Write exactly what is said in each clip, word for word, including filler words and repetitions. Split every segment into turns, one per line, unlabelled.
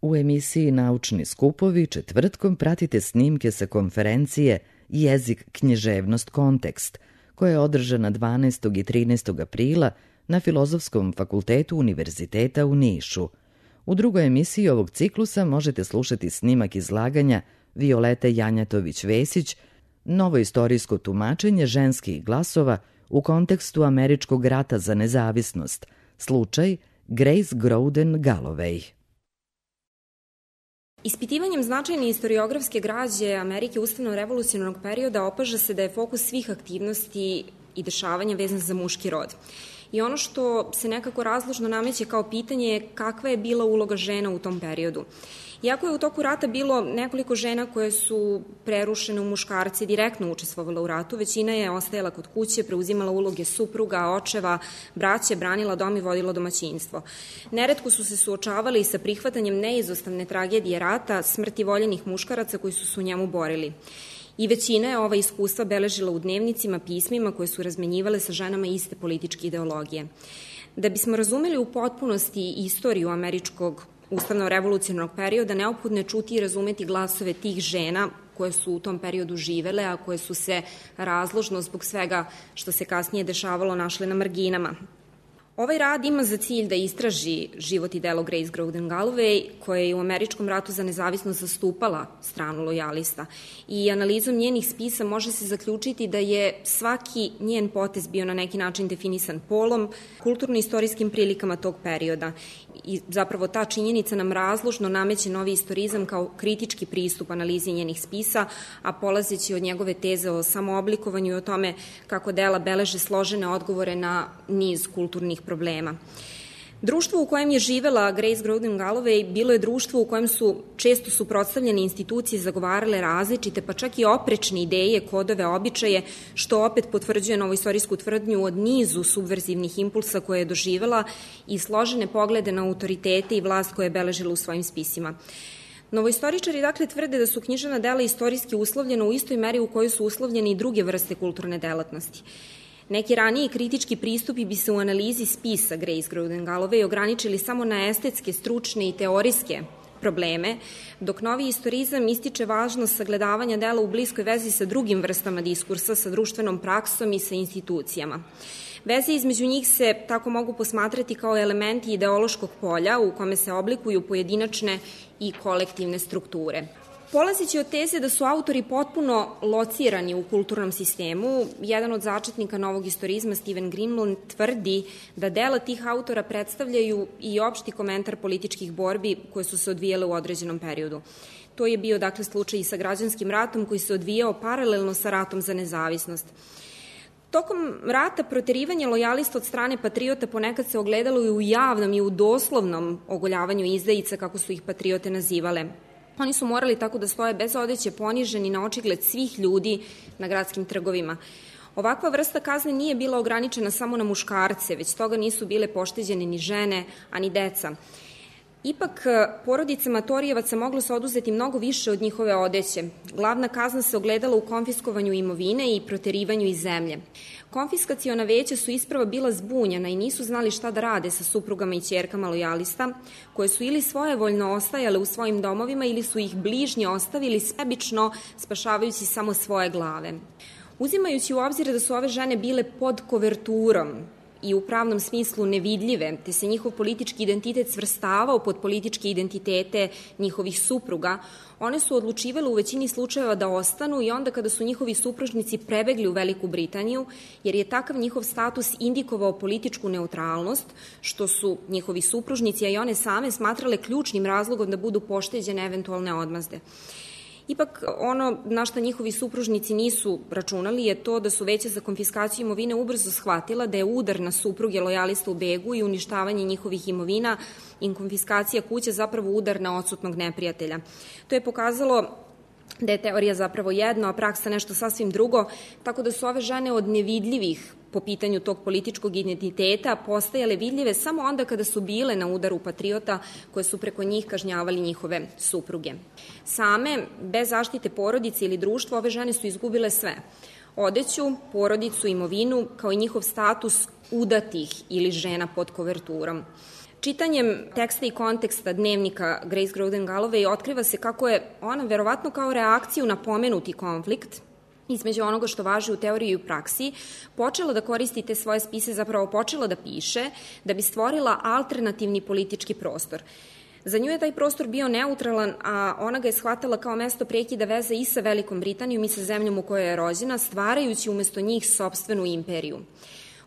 U emisiji Naučni skupovi četvrtkom pratite snimke sa konferencije Jezik, književnost, kontekst, koja je održana dvanaestog i trinaestog aprila na Filozofskom fakultetu Univerziteta u Nišu. U drugoj emisiji ovog ciklusa možete slušati snimak izlaganja Violete Janjatović-Vesić, novo istorijsko tumačenje ženskih glasova u kontekstu Američkog rata za nezavisnost, slučaj Grace Groden Galloway.
Ispitivanjem značajne istoriografske građe Amerike ustavno-revolucionarnog perioda opaža se da je fokus svih aktivnosti i dešavanja vezan za muški rod. I ono što se nekako razložno nameće kao pitanje je kakva je bila uloga žena u tom periodu. Iako je u toku rata bilo nekoliko žena koje su prerušene u muškarce, direktno učestvovala u ratu, većina je ostajala kod kuće, preuzimala uloge supruga, očeva, braće, branila dom i vodila domaćinstvo. Neretko su se suočavali sa prihvatanjem neizostavne tragedije rata, smrti voljenih muškaraca koji su se u njemu borili. I većina je ova iskustva beležila u dnevnicima, pismima koje su razmenjivale sa ženama iste političke ideologije. Da bismo razumeli u potpunosti istoriju američkog ustavno-revolucionarnog perioda, neophodno je čuti i razumeti glasove tih žena koje su u tom periodu živele, a koje su se razložno zbog svega što se kasnije dešavalo našle na marginama. Ovaj rad ima za cilj da istraži život i delo Grace Groden Galloway, koja je u Američkom ratu za nezavisnost zastupala stranu lojalista. I analizom njenih spisa može se zaključiti da je svaki njen potez bio na neki način definisan polom, kulturno-istorijskim prilikama tog perioda. I zapravo ta činjenica nam razložno nameće novi istorizam kao kritički pristup analizi njenih spisa, a polazeći od njegove teze o samooblikovanju i o tome kako dela beleže složene odgovore na niz kulturnih problema. Društvo u kojem je živela Grace Groden Galloway bilo je društvo u kojem su često suprotstavljene institucije zagovarale različite, pa čak i oprečne ideje, kodove, običaje, što opet potvrđuje novoistorijsku tvrdnju od nizu subverzivnih impulsa koje je doživela i složene poglede na autoritete i vlast koje je beležila u svojim spisima. Novoistoričari dakle tvrde da su književna dela istorijski uslovljena u istoj meri u kojoj su uslovljene i druge vrste kulturne delatnosti. Neki raniji kritički pristupi bi se u analizi spisa Grace Groden Galloway ograničili samo na estetske, stručne i teorijske probleme, dok novi istorizam ističe važnost sagledavanja dela u bliskoj vezi sa drugim vrstama diskursa, sa društvenom praksom i sa institucijama. Veze između njih se tako mogu posmatrati kao elementi ideološkog polja u kome se oblikuju pojedinačne i kolektivne strukture. Polazeći od teze da su autori potpuno locirani u kulturnom sistemu, jedan od začetnika novog istorizma, Steven Greenblatt, tvrdi da dela tih autora predstavljaju i opšti komentar političkih borbi koje su se odvijale u određenom periodu. To je bio dakle slučaj i sa građanskim ratom koji se odvijao paralelno sa ratom za nezavisnost. Tokom rata proterivanje lojalista od strane patriota ponekad se ogledalo i u javnom i u doslovnom ogoljavanju izdajica, kako su ih patriote nazivale. Oni su morali tako da stoje bez odeće, poniženi na očigled svih ljudi na gradskim trgovima. Ovakva vrsta kazne nije bila ograničena samo na muškarce, već toga nisu bile pošteđene ni žene, a ni deca. Ipak, porodicama Torijevaca moglo se oduzeti mnogo više od njihove odeće. Glavna kazna se ogledala u konfiskovanju imovine i proterivanju iz zemlje. Konfiskaciona veća su isprava bila zbunjena i nisu znali šta da rade sa suprugama i ćerkama lojalista, koje su ili svojevoljno ostajale u svojim domovima ili su ih bližnji ostavili sebično, spašavajući samo svoje glave. Uzimajući u obzir da su ove žene bile pod koverturom i u pravnom smislu nevidljive, te se njihov politički identitet svrstavao pod političke identitete njihovih supruga, one su odlučivale u većini slučajeva da ostanu i onda kada su njihovi supružnici prebegli u Veliku Britaniju, jer je takav njihov status indikovao političku neutralnost, što su njihovi supružnici, a i one same, smatrale ključnim razlogom da budu pošteđene eventualne odmazde. Ipak, ono na šta njihovi supružnici nisu računali je to da su veća za konfiskaciju imovine ubrzo shvatila da je udar na supruge lojalista u begu i uništavanje njihovih imovina i konfiskacija kuća zapravo udar na odsutnog neprijatelja. To je pokazalo da je teorija zapravo jedno, a praksa nešto sasvim drugo, tako da su ove žene od nevidljivih po pitanju tog političkog identiteta postajale vidljive samo onda kada su bile na udaru patriota koje su preko njih kažnjavali njihove supruge. Same, bez zaštite porodice ili društva, ove žene su izgubile sve. Odeću, porodicu, imovinu, kao i njihov status udatih ili žena pod koverturom. Čitanjem teksta i konteksta dnevnika Grace Groden Galloway otkriva se kako je ona verovatno kao reakciju na pomenuti konflikt između onoga što važi u teoriji i u praksi, počela da koristi te svoje spise, zapravo počela da piše, da bi stvorila alternativni politički prostor. Za nju je taj prostor bio neutralan, a ona ga je shvatala kao mesto prekida veze i sa Velikom Britanijom i sa zemljom u kojoj je rođena, stvarajući umesto njih sopstvenu imperiju.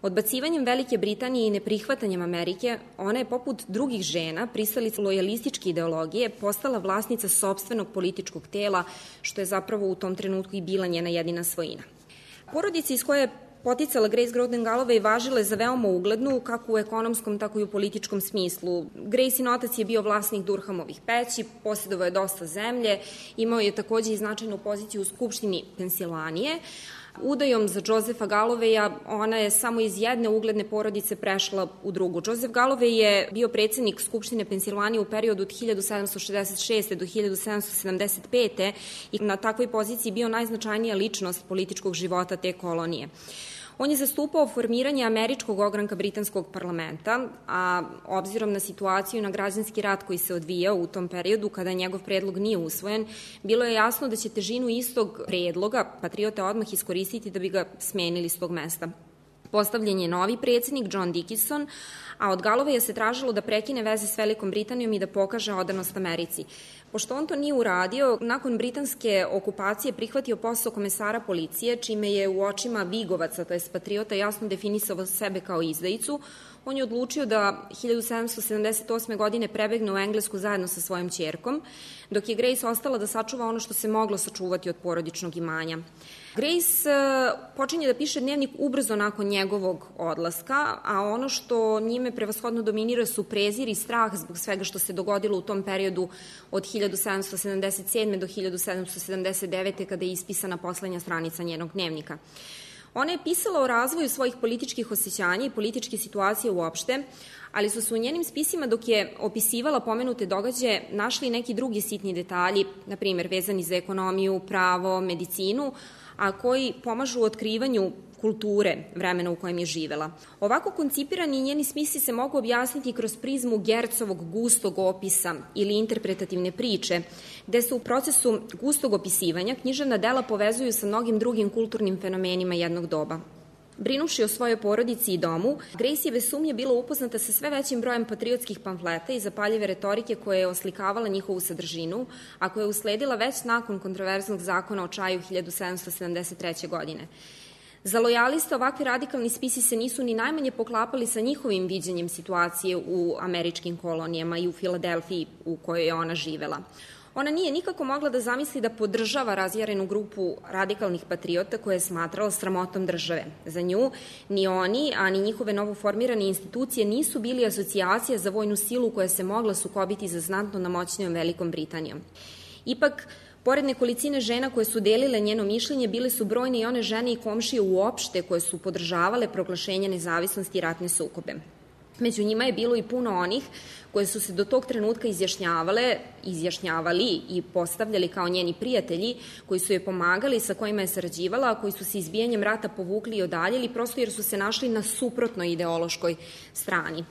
Odbacivanjem Velike Britanije i neprihvatanjem Amerike, ona je poput drugih žena, pristalica lojalističke ideologije, postala vlasnica sopstvenog političkog tela, što je zapravo u tom trenutku i bila njena jedina svojina. Porodica iz koje je poticala Grace Groden Galloway važila je za veoma uglednu, kako u ekonomskom, tako i u političkom smislu. Gracein otac je bio vlasnik Durhamovih peći, posjedovao je dosta zemlje, imao je takođe i značajnu poziciju u Skupštini Pensilvanije. Udajom za Josepha Gallowaya ona je samo iz jedne ugledne porodice prešla u drugu. Joseph Galloway je bio predsednik Skupštine Pensilvanije u periodu od hiljadu sedamsto šezdeset šeste do hiljadu sedamsto sedamdeset pete i na takvoj poziciji bio najznačajnija ličnost političkog života te kolonije. On je zastupao formiranje američkog ogranka britanskog parlamenta, a obzirom na situaciju i na građanski rat koji se odvijao u tom periodu kada njegov predlog nije usvojen, bilo je jasno da će težinu istog predloga patriote odmah iskoristiti da bi ga smenili s tog mesta. Postavljen je novi predsednik, John Dickinson, a od Gallowaya se tražilo da prekine veze s Velikom Britanijom i da pokaže odanost Americi. Pošto on to nije uradio, nakon britanske okupacije prihvatio posao komesara policije, čime je u očima Vigovaca, to je patriota, jasno definisao sebe kao izdajicu. On je odlučio da hiljadu sedamsto sedamdeset osme. godine prebegne u Englesku zajedno sa svojom ćerkom, dok je Grace ostala da sačuva ono što se moglo sačuvati od porodičnog imanja. Grace počinje da piše dnevnik ubrzo nakon njegovog odlaska, a ono što njime prevashodno dominira su prezir i strah zbog svega što se dogodilo u tom periodu od hiljadu sedamsto sedamdeset sedme. do hiljadu sedamsto sedamdeset devete. kada je ispisana poslednja stranica njenog dnevnika. Ona je pisala o razvoju svojih političkih osjećanja i političke situacije uopšte, ali su se u njenim spisima dok je opisivala pomenute događaje našli neki drugi sitni detalji, na primjer vezani za ekonomiju, pravo, medicinu, a koji pomažu u otkrivanju kulture vremena u kojem je živela. Ovako koncipirani njeni smisli se mogu objasniti kroz prizmu Gercovog gustog opisa ili interpretativne priče, gde se u procesu gustog opisivanja književna dela povezuju sa mnogim drugim kulturnim fenomenima jednog doba. Brinuši o svojoj porodici i domu, Grace je bez sumnje bila upoznata sa sve većim brojem patriotskih pamfleta i zapaljive retorike koje je oslikavala njihovu sadržinu, a koja je usledila već nakon kontroverznog zakona o čaju hiljadu sedamsto sedamdeset treće. godine. Za lojaliste ovakvi radikalni spisi se nisu ni najmanje poklapali sa njihovim viđenjem situacije u američkim kolonijama i u Filadelfiji u kojoj je ona živela. Ona nije nikako mogla da zamisli da podržava razjarenu grupu radikalnih patriota koje je smatrala sramotom države. Za nju ni oni, a ni njihove novoformirane institucije nisu bili asocijacija za vojnu silu koja se mogla sukobiti za znatno namoćnijom Velikom Britanijom. Ipak, pored nekolicine žena koje su delile njeno mišljenje, bile su brojne i one žene i komšije uopšte koje su podržavale proglašenje nezavisnosti i ratne sukobe. Među njima je bilo i puno onih koje su se do tog trenutka izjašnjavale, izjašnjavali i postavljali kao njeni prijatelji, koji su je pomagali, sa kojima je sarađivala, a koji su se izbijanjem rata povukli i odaljili, prosto jer su se našli na suprotnoj ideološkoj strani.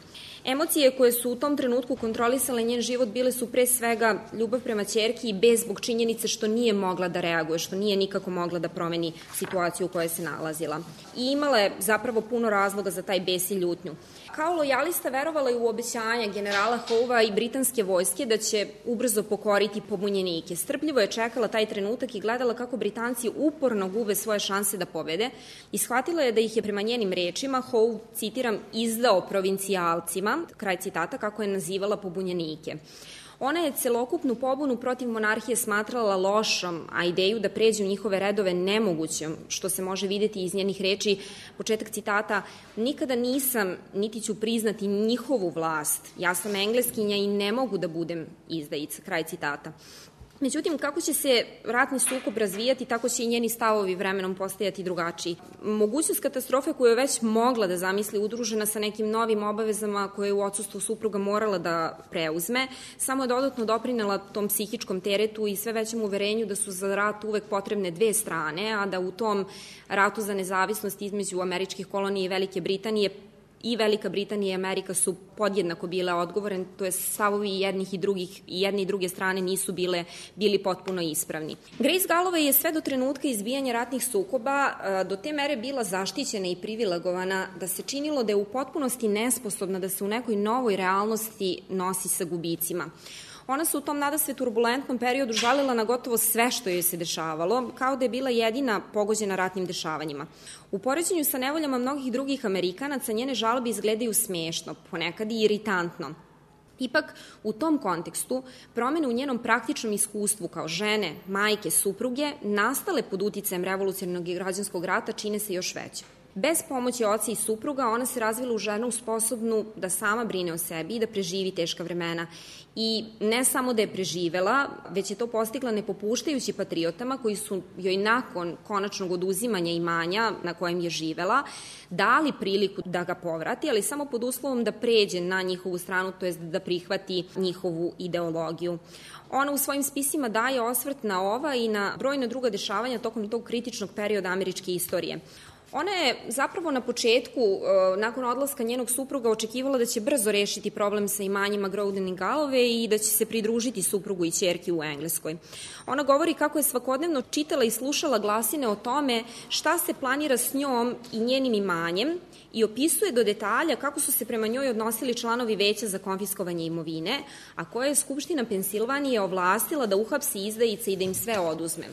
Emocije koje su u tom trenutku kontrolisale njen život bile su pre svega ljubav prema ćerki i bez zbog činjenice što nije mogla da reaguje, što nije nikako mogla da promeni situaciju u kojoj se nalazila. I imala je zapravo puno razloga za taj bes i ljutnju. Kao lojalista verovala je u obećanja generala Howe i britanske vojske da će ubrzo pokoriti pobunjenike. Strpljivo je čekala taj trenutak i gledala kako Britanci uporno gube svoje šanse da pobede i shvatila je da ih je prema njenim rečima Howe, citiram, izdao provincijalcima, kraj citata, kako je nazivala pobunjenike. Ona je celokupnu pobunu protiv monarhije smatrala lošom, a ideju da pređe u njihove redove nemogućom, što se može videti iz njenih reči, početak citata, nikada nisam, niti ću priznati njihovu vlast, ja sam engleskinja i ne mogu da budem izdajica, kraj citata. Međutim, kako će se ratni sukob razvijati, tako će i njeni stavovi vremenom postajati drugačiji. Mogućnost katastrofe koju je već mogla da zamisli udružena sa nekim novim obavezama koje je u odsustvu supruga morala da preuzme, samo je dodatno doprinela tom psihičkom teretu i sve većem uverenju da su za rat uvek potrebne dve strane, a da u tom ratu za nezavisnost između američkih kolonija i Velike Britanije i Velika Britanija i Amerika su podjednako bile odgovorne, to je stavovi jednih i drugih i jedne i druge strane nisu bile bili potpuno ispravni. Grace Galloway je sve do trenutka izbijanja ratnih sukoba do te mere bila zaštićena i privilegovana da se činilo da je u potpunosti nesposobna da se u nekoj novoj realnosti nosi sa gubicima. Ona se u tom nadasve turbulentnom periodu žalila na gotovo sve što joj se dešavalo, kao da je bila jedina pogođena ratnim dešavanjima. U poređenju sa nevoljama mnogih drugih Amerikanaca njene žalbe izgledaju smešno, ponekad i iritantno. Ipak, u tom kontekstu, promene u njenom praktičnom iskustvu kao žene, majke, supruge, nastale pod uticajem revolucionarnog i građanskog rata, čine se još veće. Bez pomoći oca i supruga ona se razvila u ženu sposobnu da sama brine o sebi i da preživi teška vremena. I ne samo da je preživela, već je to postigla ne popuštajući patriotama koji su joj nakon konačnog oduzimanja imanja na kojem je živela dali priliku da ga povrati, ali samo pod uslovom da pređe na njihovu stranu, to jest da prihvati njihovu ideologiju. Ona u svojim spisima daje osvrt na ova i na brojna druga dešavanja tokom tog kritičnog perioda američke istorije. Ona je zapravo na početku, nakon odlaska njenog supruga, očekivala da će brzo rešiti problem sa imanjima Groden i Galloway i da će se pridružiti suprugu i ćerki u Engleskoj. Ona govori kako je svakodnevno čitala i slušala glasine o tome šta se planira s njom i njenim imanjem i opisuje do detalja kako su se prema njoj odnosili članovi veća za konfiskovanje imovine, a koje je Skupština Pensilvanije ovlastila da uhapsi izdajice i da im sve oduzme.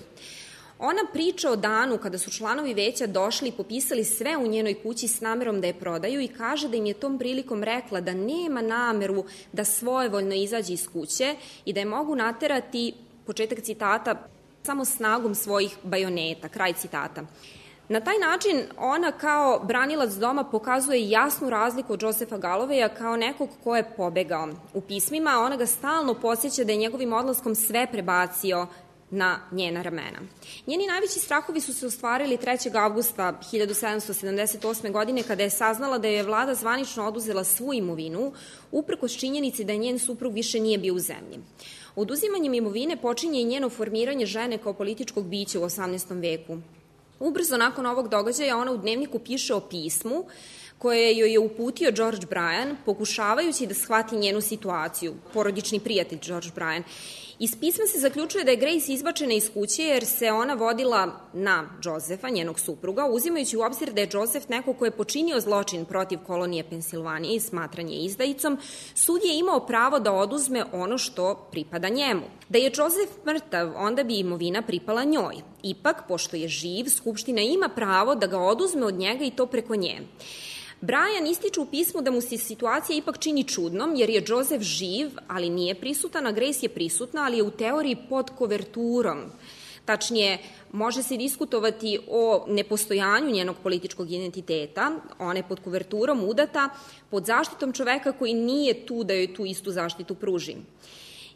Ona priča o danu kada su članovi veća došli i popisali sve u njenoj kući s namerom da je prodaju i kaže da im je tom prilikom rekla da nema nameru da svojevoljno izađe iz kuće i da je mogu naterati, početak citata, samo snagom svojih bajoneta, kraj citata. Na taj način ona kao branilac doma pokazuje jasnu razliku od Josepha Gallowaya kao nekog ko je pobegao. U pismima ona ga stalno podsjeća da je njegovim odlaskom sve prebacio na njena ramena. Njeni najveći strahovi su se ostvarili trećeg avgusta hiljadu sedamsto sedamdeset osme. godine kada je saznala da je vlada zvanično oduzela svu imovinu, uprkos činjenici da njen suprug više nije bio u zemlji. Oduzimanjem imovine počinje i njeno formiranje žene kao političkog bića u osamnaestom veku. Ubrzo nakon ovog događaja ona u dnevniku piše o pismu koje joj je uputio George Bryan, pokušavajući da shvati njenu situaciju, porodični prijatelj George Bryan. Iz pisma se zaključuje da je Grace izbačena iz kuće jer se ona vodila na Josefa, njenog supruga, uzimajući u obzir da je Joseph neko ko je počinio zločin protiv kolonije Pensilvanije i smatranje izdajicom, sud je imao pravo da oduzme ono što pripada njemu. Da je Joseph mrtav, onda bi imovina pripala njoj. Ipak, pošto je živ, Skupština ima pravo da ga oduzme od njega i to preko nje. Brian ističe u pismu da mu se situacija ipak čini čudnom, jer je Joseph živ, ali nije prisutan, a Grace je prisutna, ali je u teoriji pod koverturom. Tačnije, može se diskutovati o nepostojanju njenog političkog identiteta, ona je pod koverturom udata, pod zaštitom čoveka koji nije tu da joj tu istu zaštitu pruži.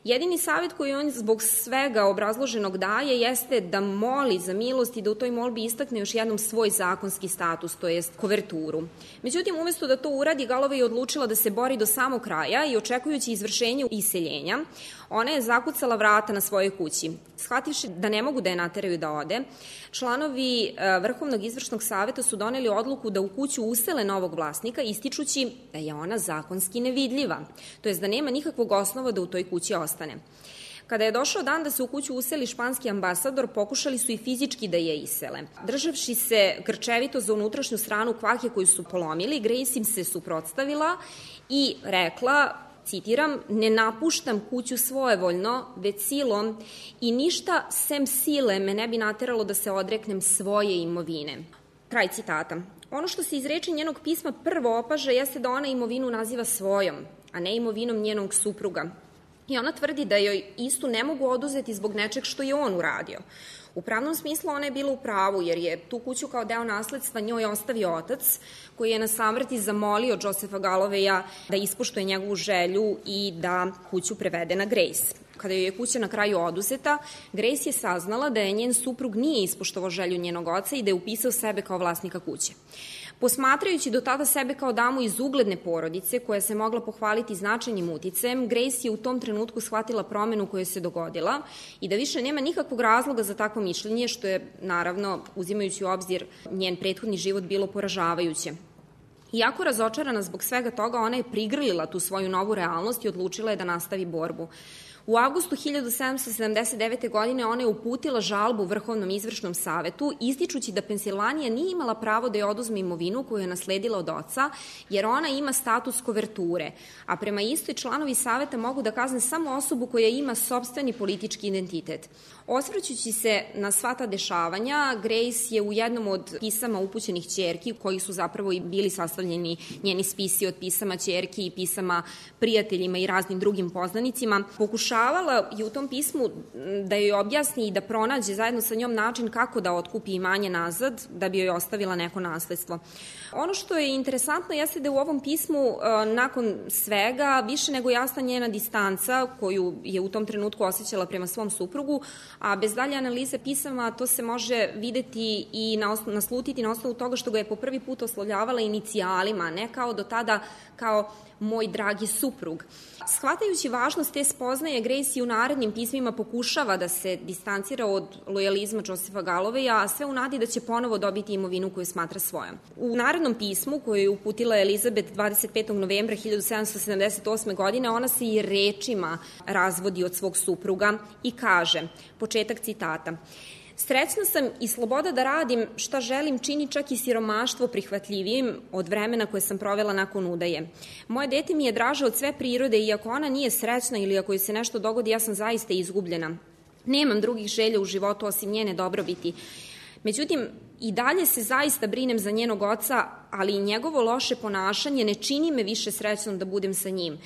Jedini savjet koji on zbog svega obrazloženog daje jeste da moli za milost i da u toj molbi istakne još jednom svoj zakonski status, to jest koverturu. Međutim, umesto da to uradi, Galloway je odlučila da se bori do samog kraja i očekujući izvršenje iseljenja, ona je zakucala vrata na svojoj kući. Shvativši da ne mogu da je nateraju da ode, članovi Vrhovnog izvršnog saveta su doneli odluku da u kuću usele novog vlasnika, ističući da je ona zakonski nevidljiva, to jest da nema nikakvog osnova da u toj kući ostane. Kada je došao dan da se u kuću useli španski ambasador, pokušali su i fizički da je isele. Državši se grčevito za unutrašnju stranu kvake koju su polomili, Grace im se suprotstavila i rekla, citiram, ne napuštam kuću svojevoljno, već silom i ništa sem sile me ne bi nateralo da se odreknem svoje imovine. Kraj citata. Ono što se iz reči njenog pisma prvo opaže jeste da ona imovinu naziva svojom, a ne imovinom njenog supruga. I ona tvrdi da joj istu ne mogu oduzeti zbog nečeg što je on uradio. U pravnom smislu ona je bila u pravu, jer je tu kuću kao deo nasledstva njoj ostavio otac, koji je na samrti zamolio Josepha Gallowaya da ispoštuje njegovu želju i da kuću prevede na Grace. Kada joj je kuća na kraju oduzeta, Grace je saznala da je njen suprug nije ispoštovao želju njenog oca i da je upisao sebe kao vlasnika kuće. Posmatrajući do tada sebe kao damu iz ugledne porodice, koja se mogla pohvaliti značajnim uticajem, Grace je u tom trenutku shvatila promenu koja se dogodila i da više nema nikakvog razloga za takvo mišljenje, što je, naravno, uzimajući u obzir njen prethodni život, bilo poražavajuće. Iako razočarana zbog svega toga, ona je prigrlila tu svoju novu realnost i odlučila je da nastavi borbu. U avgustu hiljadu sedamsto sedamdeset devete. godine ona je uputila žalbu Vrhovnom izvršnom savetu, ističući da Pensilvanija nije imala pravo da je oduzme imovinu koju je nasledila od oca, jer ona ima status koverture, a prema istoj članovi saveta mogu da kazne samo osobu koja ima sopstveni politički identitet. Osvrćući se na sva ta dešavanja, Grace je u jednom od pisama upućenih ćerki, koji su zapravo i bili sastavljeni njeni spisi od pisama ćerki i pisama prijateljima i raznim drugim poznanicima, pokušavala je u tom pismu da joj objasni i da pronađe zajedno sa njom način kako da otkupi imanje nazad, da bi joj ostavila neko nasledstvo. Ono što je interesantno jeste da u ovom pismu, nakon svega, više nego jasna njena distanca koju je u tom trenutku osjećala prema svom suprugu, a bez dalje analize pisama to se može videti i naslutiti na osnovu toga što ga je po prvi put oslovljavala inicijalima, ne kao do tada kao moj dragi suprug. Shvatajući važnost te spoznaje, Grace i u narednim pismima pokušava da se distancira od lojalizma Josepha Galloweja, a sve u nadi da će ponovo dobiti imovinu koju smatra svojom. U narednom pismu, koju je uputila Elizabeth dvadeset petog novembra hiljadu sedamsto sedamdeset osme. godine, ona se i rečima razvodi od svog supruga i kaže, početak citata: "Srećna sam i sloboda da radim šta želim čini čak i siromaštvo prihvatljivijim od vremena koje sam provela nakon udaje. Moje dete mi je draže od sve prirode i ako ona nije srećna ili ako joj se nešto dogodi, ja sam zaista izgubljena. Nemam drugih želja u životu osim njene dobrobiti. Međutim, i dalje se zaista brinem za njenog oca, ali i njegovo loše ponašanje ne čini me više srećnom da budem sa njim.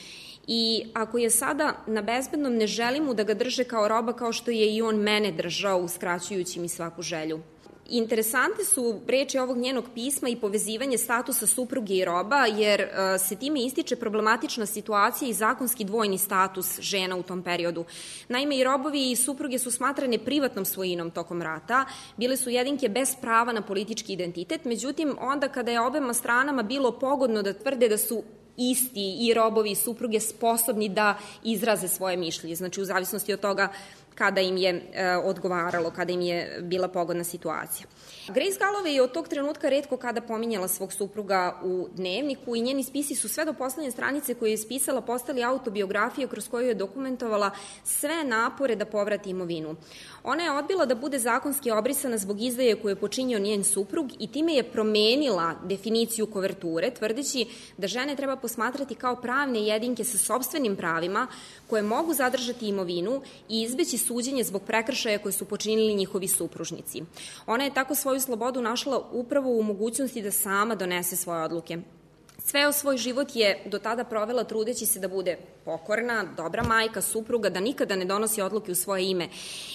I ako je sada na bezbednom, ne želim mu da ga drže kao roba kao što je i on mene držao, uskraćujući mi svaku želju." Interesante su reči ovog njenog pisma i povezivanje statusa supruge i roba, jer se time ističe problematična situacija i zakonski dvojni status žena u tom periodu. Naime, i robovi i supruge su smatrane privatnom svojinom tokom rata, bile su jedinke bez prava na politički identitet, međutim, onda kada je obema stranama bilo pogodno da tvrde da su isti i robovi i supruge sposobni da izraze svoje mišljenje, znači u zavisnosti od toga kada im je e, odgovaralo, kada im je bila pogodna situacija. Grace Galloway je od tog trenutka retko kada pominjala svog supruga u dnevniku i njeni spisi su sve do poslednje stranice koje je ispisala postali autobiografije kroz koju je dokumentovala sve napore da povrati imovinu. Ona je odbila da bude zakonski obrisana zbog izdaje koju je počinio njen suprug i time je promenila definiciju koverture, tvrdeći da žene treba posmatrati kao pravne jedinke sa sopstvenim pravima koje mogu zadržati imovinu i izbeći suđenje zbog prekršaja koje su počinili njihovi supružnici. Ona je tako svoju slobodu našla upravo u mogućnosti da sama donese svoje odluke. Sve o svoj život je do tada provela trudeći se da bude pokorna, dobra majka, supruga, da nikada ne donosi odluke u svoje ime.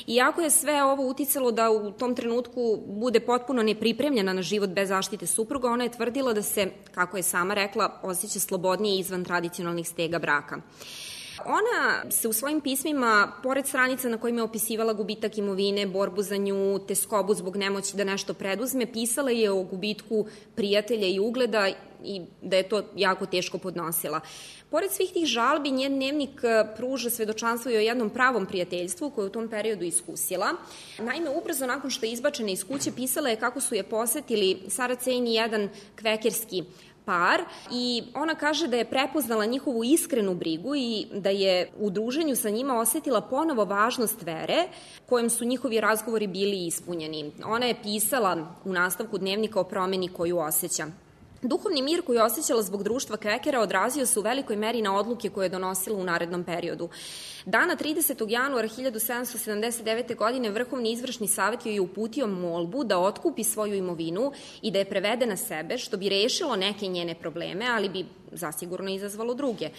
Iako je sve ovo uticalo da u tom trenutku bude potpuno nepripremljena na život bez zaštite supruga, ona je tvrdila da se, kako je sama rekla, osjeća slobodnije izvan tradicionalnih stega braka. Ona se u svojim pismima, pored stranica na kojima je opisivala gubitak imovine, borbu za nju, te skobu zbog nemoći da nešto preduzme, pisala je o gubitku prijatelja i ugleda i da je to jako teško podnosila. Pored svih tih žalbi, njen dnevnik pruža svedočanstvo i o jednom pravom prijateljstvu koje je u tom periodu iskusila. Naime, ubrzo nakon što je izbačena iz kuće, pisala je kako su je posetili Sarah Cain i jedan kvekerski par i ona kaže da je prepoznala njihovu iskrenu brigu i da je u druženju sa njima osetila ponovo važnost vere kojom su njihovi razgovori bili ispunjeni. Ona je pisala u nastavku dnevnika o promeni koju osjeća. Duhovni mir koji je osjećala zbog društva Kvekera odrazio se u velikoj meri na odluke koje je donosila u narednom periodu. Dana tridesetog januara hiljadu sedamsto sedamdeset devete. godine Vrhovni izvršni savet joj je uputio molbu da otkupi svoju imovinu i da je prevede na sebe, što bi rešilo neke njene probleme, ali bi zasigurno izazvalo druge.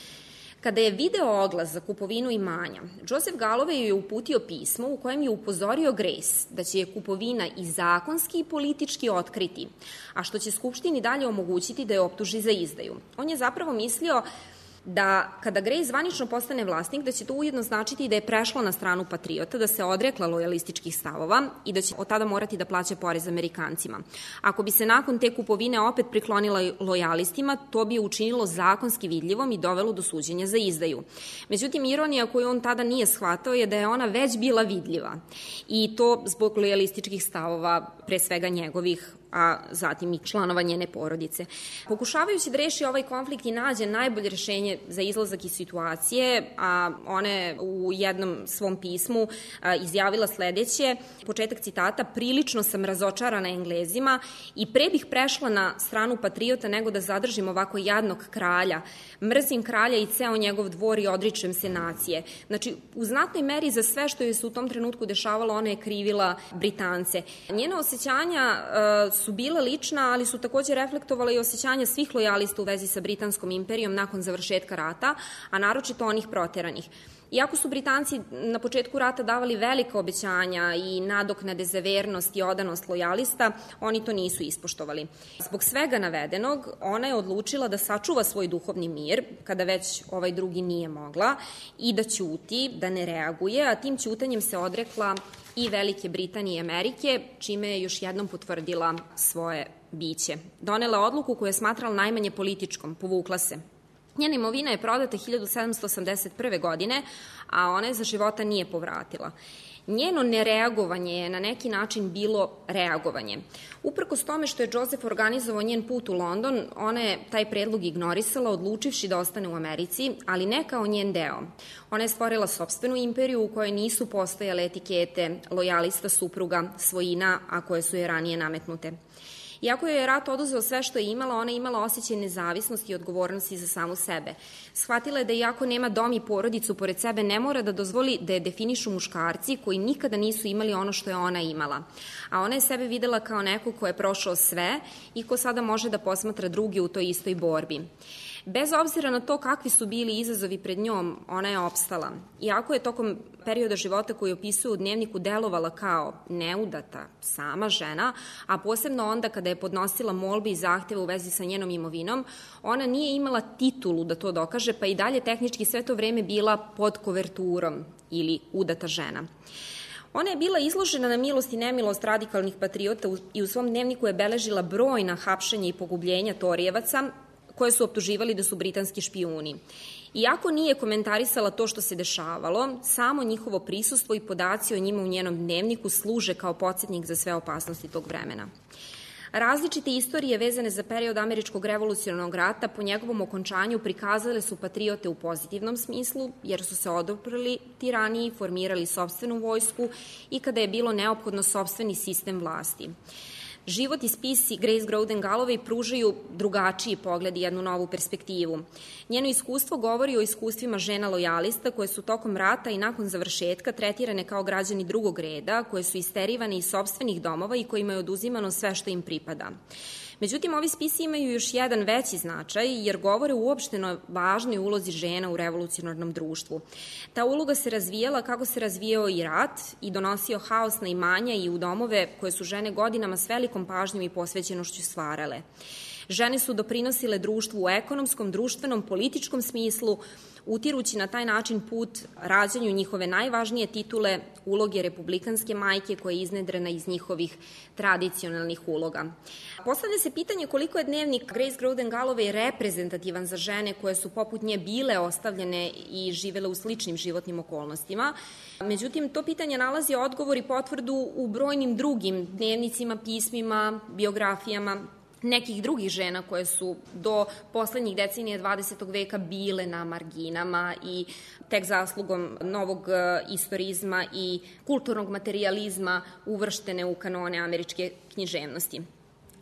Kada je video oglas za kupovinu imanja, Joseph Galloway je uputio pismo u kojem je upozorio Grace da će je kupovina i zakonski i politički otkriti, a što će Skupštini dalje omogućiti da je optuži za izdaju. On je zapravo mislio da kada Grace zvanično postane vlasnik, da će to ujedno značiti da je prešla na stranu patriota, da se odrekla lojalističkih stavova i da će od tada morati da plaća porez Amerikancima. Ako bi se nakon te kupovine opet priklonila lojalistima, to bi je učinilo zakonski vidljivom i dovelo do suđenja za izdaju. Međutim, ironija koju on tada nije shvatao je da je ona već bila vidljiva i to zbog lojalističkih stavova, pre svega njegovih a zatim i članova njene porodice. Pokušavajući da reši ovaj konflikt i nađe najbolje rešenje za izlazak iz situacije, a ona je u jednom svom pismu izjavila sledeće, početak citata: prilično sam razočarana Englezima i pre bih prešla na stranu patriota nego da zadržim ovako jadnog kralja. Mrzim kralja i ceo njegov dvor i odričem se nacije. Znači, u znatnoj meri za sve što je se u tom trenutku dešavalo, ona je krivila Britance. Njena osjećanja uh, su bila lična, ali su takođe reflektovala i osjećanja svih lojalista u vezi sa Britanskom imperijom nakon završetka rata, a naročito onih proteranih. Iako su Britanci na početku rata davali velika obećanja i nadoknade za vernost i odanost lojalista, oni to nisu ispoštovali. Zbog svega navedenog, ona je odlučila da sačuva svoj duhovni mir, kada već ovaj drugi nije mogla, i da ćuti, da ne reaguje, a tim ćutanjem se odrekla i Velike Britanije i Amerike, čime je još jednom potvrdila svoje biće. Donela odluku koju je smatrala najmanje političkom, povukla se. Njena imovina je prodata hiljadu sedamsto osamdeset prve. godine, a ona je za života nije povratila. Njeno nereagovanje je na neki način bilo reagovanje. Uprkos tome što je Joseph organizovao njen put u London, ona je taj predlog ignorisala, odlučivši da ostane u Americi, ali ne kao njen deo. Ona je stvorila sopstvenu imperiju u kojoj nisu postojale etikete lojalista, supruga, svojina, a koje su je ranije nametnute. Iako je rat oduzeo sve što je imala, ona je imala osjećaj nezavisnosti i odgovornosti za samu sebe. Shvatila je da iako nema dom i porodicu pored sebe, ne mora da dozvoli da je definišu muškarci koji nikada nisu imali ono što je ona imala. A ona je sebe videla kao neko ko je prošao sve i ko sada može da posmatra druge u toj istoj borbi. Bez obzira na to kakvi su bili izazovi pred njom, ona je opstala. Iako je tokom perioda života koji opisuje u dnevniku delovala kao neudata, sama žena, a posebno onda kada je podnosila molbe i zahteve u vezi sa njenom imovinom, ona nije imala titulu da to dokaže, pa i dalje tehnički sve to vreme bila pod koverturom ili udata žena. Ona je bila izložena na milost i nemilost radikalnih patriota i u svom dnevniku je beležila brojna hapšenja i pogubljenja Torijevaca, koje su optuživali da su britanski špijuni. Iako nije komentarisala to što se dešavalo, samo njihovo prisustvo i podaci o njima u njenom dnevniku služe kao podsjetnik za sve opasnosti tog vremena. Različite istorije vezane za period američkog revolucionarnog rata po njegovom okončanju prikazale su patriote u pozitivnom smislu, jer su se odoprli tiraniji, formirali sopstvenu vojsku i kada je bilo neophodno sopstveni sistem vlasti. Život i spisi Grace Groden Galloway pružaju drugačiji pogled i jednu novu perspektivu. Njeno iskustvo govori o iskustvima žena lojalista koje su tokom rata i nakon završetka tretirane kao građani drugog reda, koje su isterivane iz sopstvenih domova i kojima je oduzimano sve što im pripada. Međutim, ovi spisi imaju još jedan veći značaj jer govore uopšteno važnoj ulozi žena u revolucionarnom društvu. Ta uloga se razvijala kako se razvijao i rat i donosio haos na imanja i u domove koje su žene godinama s velikom pažnjom i posvećenošću stvarale. Žene su doprinosile društvu u ekonomskom, društvenom, političkom smislu, utirući na taj način put rađanju njihove najvažnije titule, uloge republikanske majke koja je iznedrena iz njihovih tradicionalnih uloga. Postavlja se pitanje koliko je dnevnik Grace Groden Galloway reprezentativan za žene koje su poput nje bile ostavljene i živele u sličnim životnim okolnostima. Međutim, to pitanje nalazi odgovor i potvrdu u brojnim drugim dnevnicima, pismima, biografijama nekih drugih žena koje su do poslednjih decenija dvadesetog veka bile na marginama i tek zaslugom novog istorizma i kulturnog materijalizma uvrštene u kanone američke književnosti.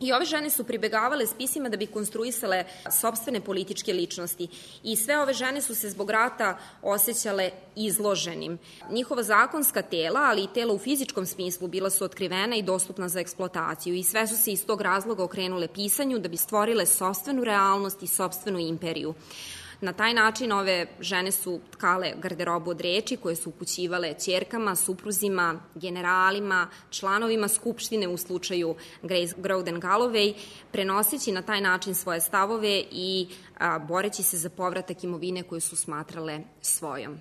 I ove žene su pribegavale spisima da bi konstruisale sopstvene političke ličnosti i sve ove žene su se zbog rata osjećale izloženim. Njihova zakonska tela, ali i tela u fizičkom smislu, bila su otkrivena i dostupna za eksploataciju i sve su se iz tog razloga okrenule pisanju da bi stvorile sopstvenu realnost i sopstvenu imperiju. Na taj način ove žene su tkale garderobu od reči koje su upućivale ćerkama, supruzima, generalima, članovima skupštine u slučaju Grace Groden Galloway, prenoseći na taj način svoje stavove i a, boreći se za povratak imovine koju su smatrale svojom.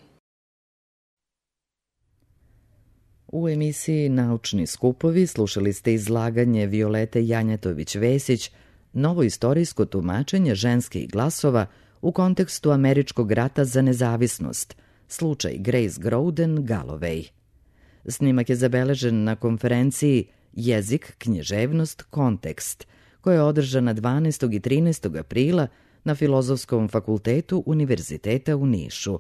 U emisiji Naučni skupovi slušali ste izlaganje Violete Janjetović-Vesić, novo istorijsko tumačenje ženskih glasova u kontekstu američkog rata za nezavisnost, slučaj Grace Groden Galloway. Snimak je zabeležen na konferenciji Jezik, književnost, kontekst, koja je održana dvanaestog i trinaestog aprila na Filozofskom fakultetu Univerziteta u Nišu.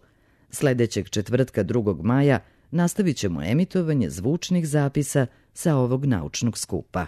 Sledećeg četvrtka drugog maja nastavit ćemo emitovanje zvučnih zapisa sa ovog naučnog skupa.